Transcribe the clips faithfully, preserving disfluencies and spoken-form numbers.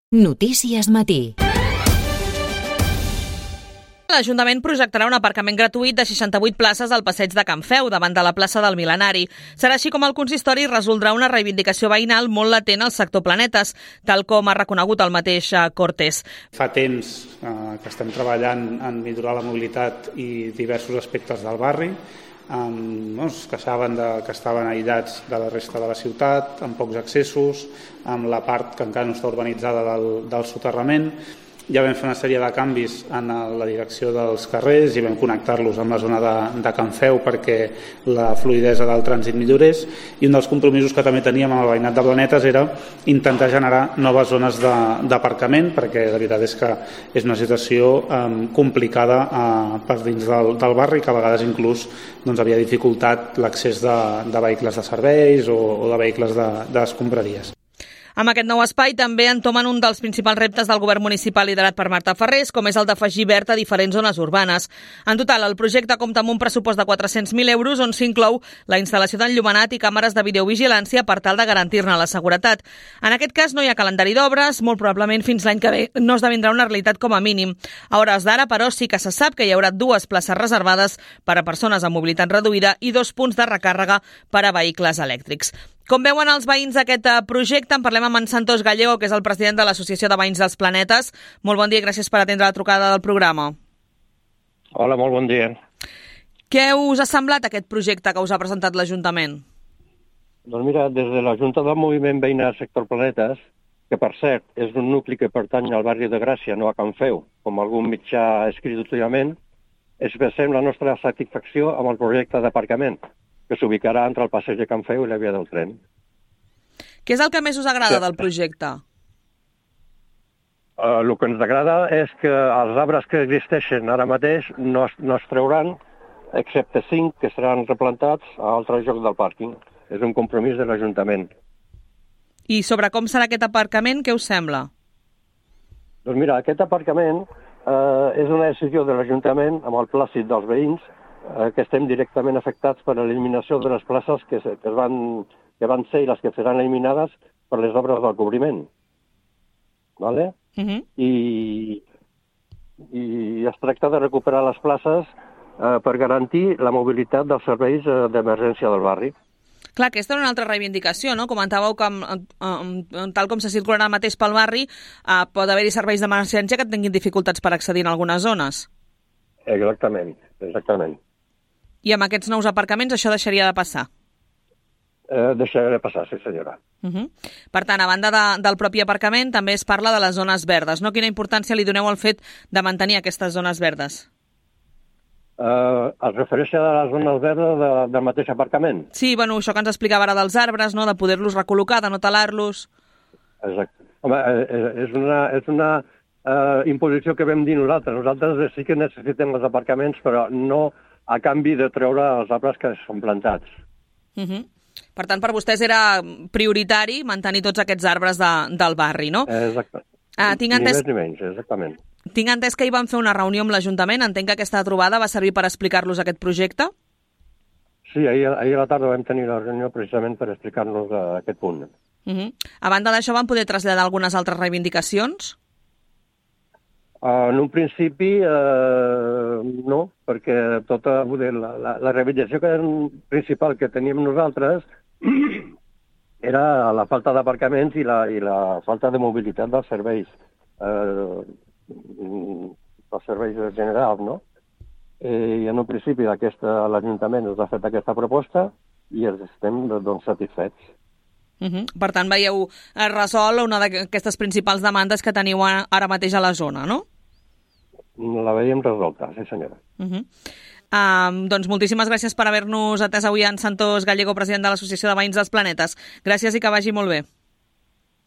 Notícies Matí. L'Ajuntament projectarà un aparcament gratuït de seixanta-vuit places al passeig de Can Feu, davant de la plaça del Mil·lenari. Serà així com el consistori resoldrà una reivindicació veïnal molt latent al sector Planetes, tal com ha reconegut el mateix Cortés. Fa temps eh, que estem treballant en millorar la mobilitat i diversos aspectes del barri, amb, no, que saben de, que estaven aïllats de la resta de la ciutat, amb pocs accessos, amb la part que encara no està urbanitzada del, del soterrament. Ja vam fer una sèrie de canvis en la direcció dels carrers i vam connectar-los amb la zona de, de Can Feu perquè la fluïdesa del trànsit millorés, i un dels compromisos que també teníem amb el veïnat de Planetes era intentar generar noves zones d'aparcament, perquè la veritat és que és una situació eh, complicada eh, per dins del, del barri, que a vegades inclús doncs, havia dificultat l'accés de, de vehicles de serveis o, o de vehicles d'escombraries. Amb aquest nou espai també entomen un dels principals reptes del govern municipal liderat per Marta Ferrés, com és el d'afegir verd a diferents zones urbanes. En total, el projecte compta amb un pressupost de quatre-cents mil euros on s'inclou la instal·lació d'enllumenat i càmeres de videovigilància per tal de garantir-ne la seguretat. En aquest cas no hi ha calendari d'obres, molt probablement fins l'any que ve no esdevindrà una realitat com a mínim. A hores d'ara, però, sí que se sap que hi haurà dues places reservades per a persones amb mobilitat reduïda i dos punts de recàrrega per a vehicles elèctrics. Com veuen els veïns d'aquest projecte? En parlem amb en Santos Gallego, que és el president de l'Associació de Veïns dels Planetes. Molt bon dia i gràcies per atendre la trucada del programa. Hola, molt bon dia. Què us ha semblat aquest projecte que us ha presentat l'Ajuntament? Doncs mira, des de la Junta del Moviment Veïnal Sector Planetes, que per cert és un nucli que pertany al barri de Gràcia, no a Can Feu, com algun mitjà ha escrit últimament, expressem la nostra satisfacció amb el projecte d'aparcament, que s'ubicarà entre el passeig de Can Feu i la via del tren. Què és el que més us agrada sí. del projecte? Uh, el que ens agrada és que els arbres que existeixen ara mateix no es, no es trauran, excepte cinc que seran replantats a altre lloc del pàrquing. És un compromís de l'Ajuntament. I sobre com serà aquest aparcament, què us sembla? Doncs mira, aquest aparcament uh, és una decisió de l'Ajuntament amb el plàcid dels veïns, que estem directament afectats per l'eliminació de les places que, se, que, van, que van ser i les que seran eliminades per les obres del cobriment. Vale? Uh-huh. I, I es tracta de recuperar les places eh, per garantir la mobilitat dels serveis eh, d'emergència del barri. Clar, aquesta era una altra reivindicació, no? Comentàveu que, eh, tal com se circularà mateix pel barri, eh, pot haver-hi serveis d'emergència que tinguin dificultats per accedir en algunes zones. Exactament, exactament. I amb aquests nous aparcaments això deixaria de passar? Eh, deixaria de passar, sí senyora. Uh-huh. Per tant, a banda de, del propi aparcament, també es parla de les zones verdes, no? Quina importància li doneu al fet de mantenir aquestes zones verdes? Eh, es refereix a les zones verdes de, del mateix aparcament? Sí, bueno, això que ens explicava ara dels arbres, no? De poder-los recol·locar, de no talar-los. Exacte. Home, és una... És una... Uh, imposició que vam dir nosaltres. Nosaltres sí que necessitem els aparcaments, però no a canvi de treure els arbres que són plantats. Uh-huh. Per tant, per vostès era prioritari mantenir tots aquests arbres de, del barri, no? Exacte. Uh, tinc entès... Ni més ni menys, exactament. Tinc entès que hi van fer una reunió amb l'Ajuntament. Entenc que aquesta trobada va servir per explicar-los aquest projecte? Sí, ahir, ahir a la tarda vam tenir la reunió precisament per explicar-nos uh, aquest punt. Uh-huh. A banda d'això, van poder traslladar algunes altres reivindicacions? Uh, en un principi, uh, no, perquè tota la, la, la reivindicació que, principal que teníem nosaltres era la falta d'aparcaments i, la, i la falta de mobilitat dels serveis, uh, dels serveis generals, no? I en un principi l'Ajuntament ens ha fet aquesta proposta i ens estem doncs, satisfets. Uh-huh. Per tant, veieu resolt una d'aquestes principals demandes que teniu ara mateix a la zona, no? La veiem resolta, sí senyora. Uh-huh. Um, doncs moltíssimes gràcies per haver-nos atès avui en Santos Gallego, president de l'Associació de Veïns dels Planetes. Gràcies i que vagi molt bé.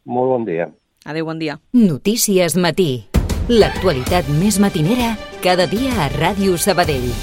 Molt bon dia. Adéu, bon dia. Notícies Matí. L'actualitat més matinera cada dia a Ràdio Sabadell.